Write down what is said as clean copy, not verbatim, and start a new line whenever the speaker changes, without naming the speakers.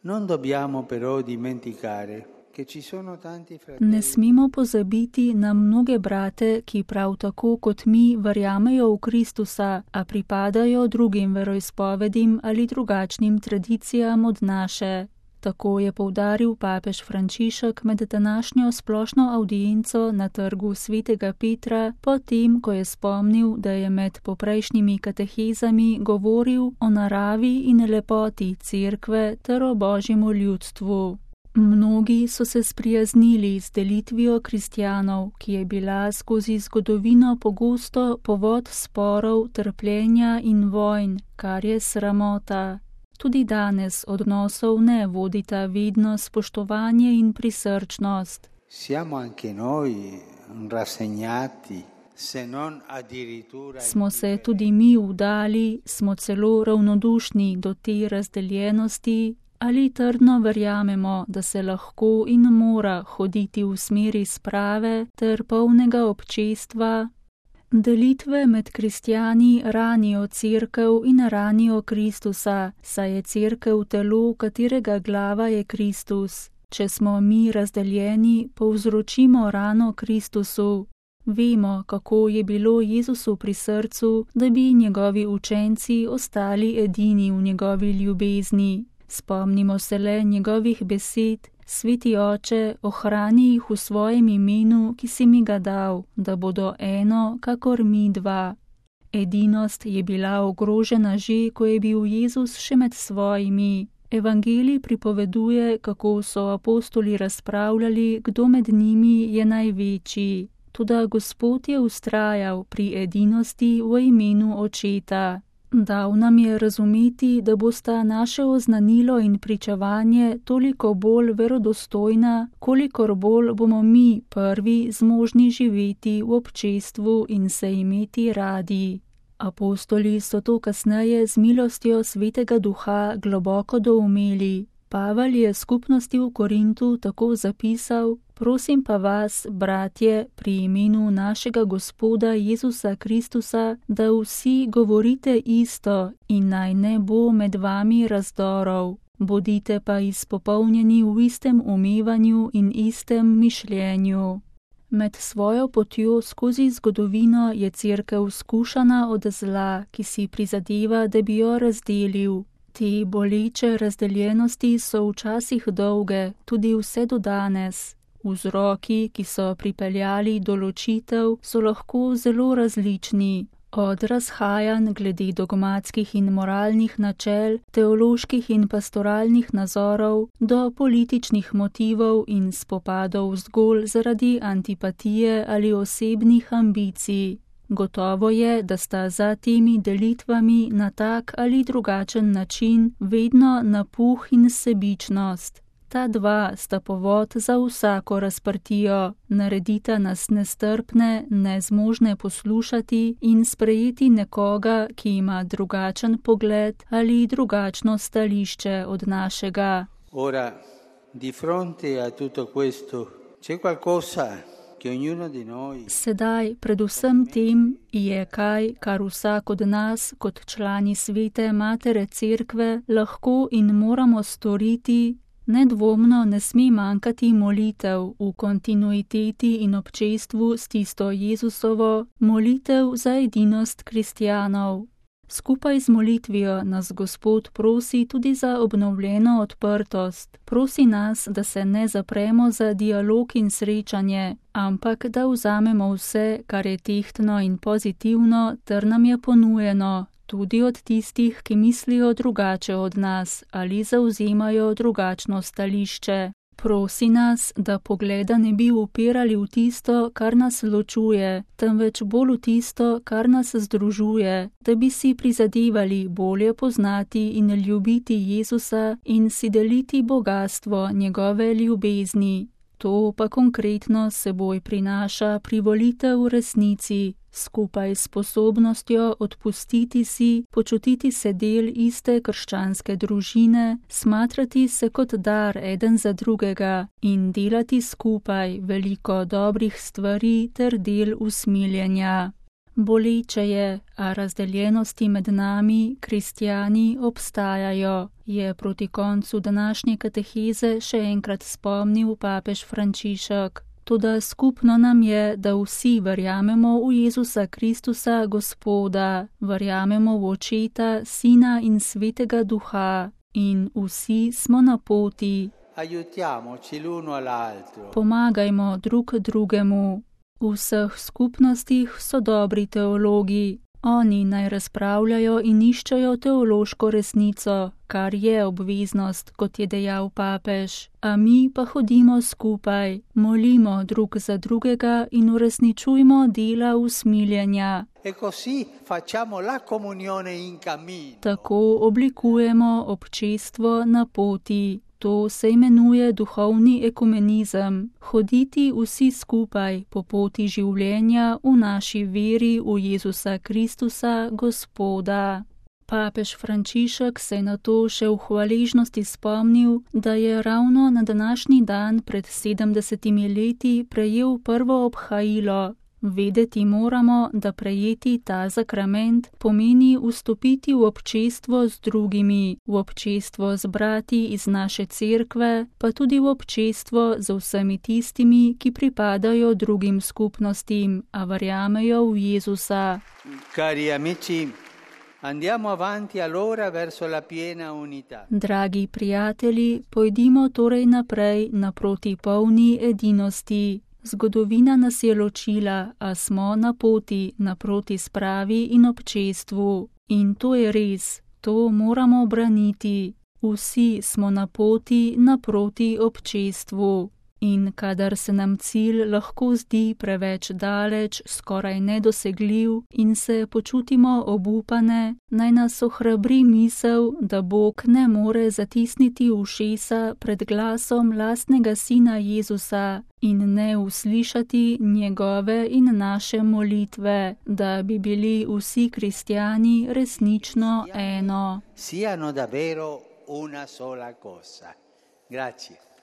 Non dobbiamo però dimenticare.
Ne smemo pozabiti na mnoge brate, ki prav tako kot mi verjamejo v Kristusa, a pripadajo drugim veroizpovedim ali drugačnim tradicijam od naše. Tako je poudaril papež Frančišek med današnjo splošno avdienco na trgu Svetega Petra, potem, ko je spomnil, da je med poprejšnjimi katehezami govoril o naravi in lepoti Cerkve ter o Božjemu ljudstvu. Mnogi so se sprijaznili z delitvijo kristjanov, ki je bila skozi zgodovino pogosto povod sporov, trpljenja in vojn, kar je sramota. Tudi danes odnosov ne vodita vedno spoštovanje in prisrčnost.
Siamo anche noi rassegnati, se non addirittura.
Smo se tudi mi vdali, smo celo ravnodušni do te razdeljenosti, ali trdno verjamemo, da se lahko in mora hoditi v smeri sprave ter polnega občestva. Delitve med kristjani ranijo Cerkev in ranijo Kristusa, saj je Cerkev telo, katerega glava je Kristus. Če smo mi razdeljeni, povzročimo rano Kristusu. Vemo, kako je bilo Jezusu pri srcu, da bi njegovi učenci ostali edini v njegovi ljubezni. Spomnimo se le njegovih besed: Sveti Oče, ohrani jih v svojem imenu, ki si mi ga dal, da bodo eno, kakor mi dva. Edinost je bila ogrožena že, ko je bil Jezus še med svojimi. Evangelij pripoveduje, kako so apostoli razpravljali, kdo med njimi je največji. Toda Gospod je vztrajal pri edinosti v imenu Očeta. Dal nam je razumeti, da bosta naše oznanilo in pričevanje toliko bolj verodostojna, kolikor bolj bomo mi prvi zmožni živeti v občestvu in se imeti radi. Apostoli so to kasneje z milostjo Svetega Duha globoko doumeli. Pavel je skupnosti v Korintu tako zapisal: Prosim pa vas, bratje, pri imenu našega Gospoda Jezusa Kristusa, da vsi govorite isto in naj ne bo med vami razdorov. Bodite pa izpopolnjeni v istem umevanju in istem mišljenju. Med svojo potjo skozi zgodovino je Cerkev skušana od zla, ki si prizadeva, da bi jo razdelil. Te boleče razdeljenosti so včasih dolge, tudi vse do danes. Vzroki, ki so pripeljali do ločitev, so lahko zelo različni. Od razhajanj glede dogmatskih in moralnih načel, teoloških in pastoralnih nazorov, do političnih motivov in spopadov zgolj zaradi antipatije ali osebnih ambicij. Gotovo je, da sta za temi delitvami na tak ali drugačen način vedno napuh in sebičnost. Ta dva sta povod za vsako razprtijo, naredita nas nestrpne, nezmožne poslušati in sprejeti nekoga, ki ima drugačen pogled ali drugačno stališče od našega.
Ora, di fronte a tutto questo, c'è qualcosa che ognuno di noi.
Sedaj, predvsem tem, je kaj, kar vsak od nas, kot člani Svete Matere Cerkve, lahko in moramo storiti. Nedvomno ne sme manjkati molitev v kontinuiteti in občestvu s tisto Jezusovo, molitev za edinost kristjanov. Skupaj z molitvijo nas Gospod prosi tudi za obnovljeno odprtost. Prosi nas, da se ne zapremo za dialog in srečanje, ampak da vzamemo vse, kar je tehtno in pozitivno, ter nam je ponujeno, tudi od tistih, ki mislijo drugače od nas ali zavzemajo drugačno stališče. Prosi nas, da pogleda ne bi upirali v tisto, kar nas ločuje, temveč bolj v tisto, kar nas združuje, da bi si prizadevali bolje poznati in ljubiti Jezusa in si deliti bogastvo njegove ljubezni. To pa konkretno seboj prinaša privolitev v resnici, skupaj s sposobnostjo odpustiti si, počutiti se del iste krščanske družine, smatrati se kot dar eden za drugega in delati skupaj veliko dobrih stvari ter del usmiljenja. Boleče je, a razdeljenosti med nami, kristjani, obstajajo, je proti koncu današnje kateheze še enkrat spomnil papež Frančišek. Toda skupno nam je, da vsi verjamemo v Jezusa Kristusa, Gospoda, verjamemo v Očeta, Sina in Svetega Duha in vsi smo na poti.
Aiutiamoci l'uno all'altro.
Pomagajmo drug drugemu. V vseh skupnostih so dobri teologi. Oni naj razpravljajo in iščejo teološko resnico, kar je obveznost, kot je dejal papež. A mi pa hodimo skupaj, molimo drug za drugega in uresničujmo dela usmiljenja.
E così facciamo la comunione in cammino.
Tako oblikujemo občestvo na poti. To se imenuje duhovni ekumenizem, hoditi vsi skupaj po poti življenja v naši veri v Jezusa Kristusa, Gospoda. Papež Frančišek se je na to še v hvaležnosti spomnil, da je ravno na današnji dan pred 70 leti prejel prvo obhajilo. Vedeti moramo, da prejeti ta sakrament pomeni vstopiti v občestvo z drugimi, v občestvo z brati iz naše cerkve, pa tudi v občestvo z vsemi tistimi, ki pripadajo drugim skupnostim, a verjamejo v Jezusa.
Cari amici, andiamo avanti allora verso la piena unità.
Dragi prijatelji, pojdimo torej naprej naproti polni edinosti. Zgodovina nas je ločila, a smo na poti naproti spravi in občestvu. In to je res, to moramo braniti. Vsi smo na poti naproti občestvu. In kadar se nam cilj lahko zdi preveč daleč, skoraj nedosegljiv in se počutimo obupane, naj nas ohrabri misel, da Bog ne more zatisniti ušesa pred glasom lastnega Sina Jezusa in ne uslišati njegove in naše molitve, da bi bili vsi kristjani resnično eno.
Siano davvero una sola cosa. Grazie.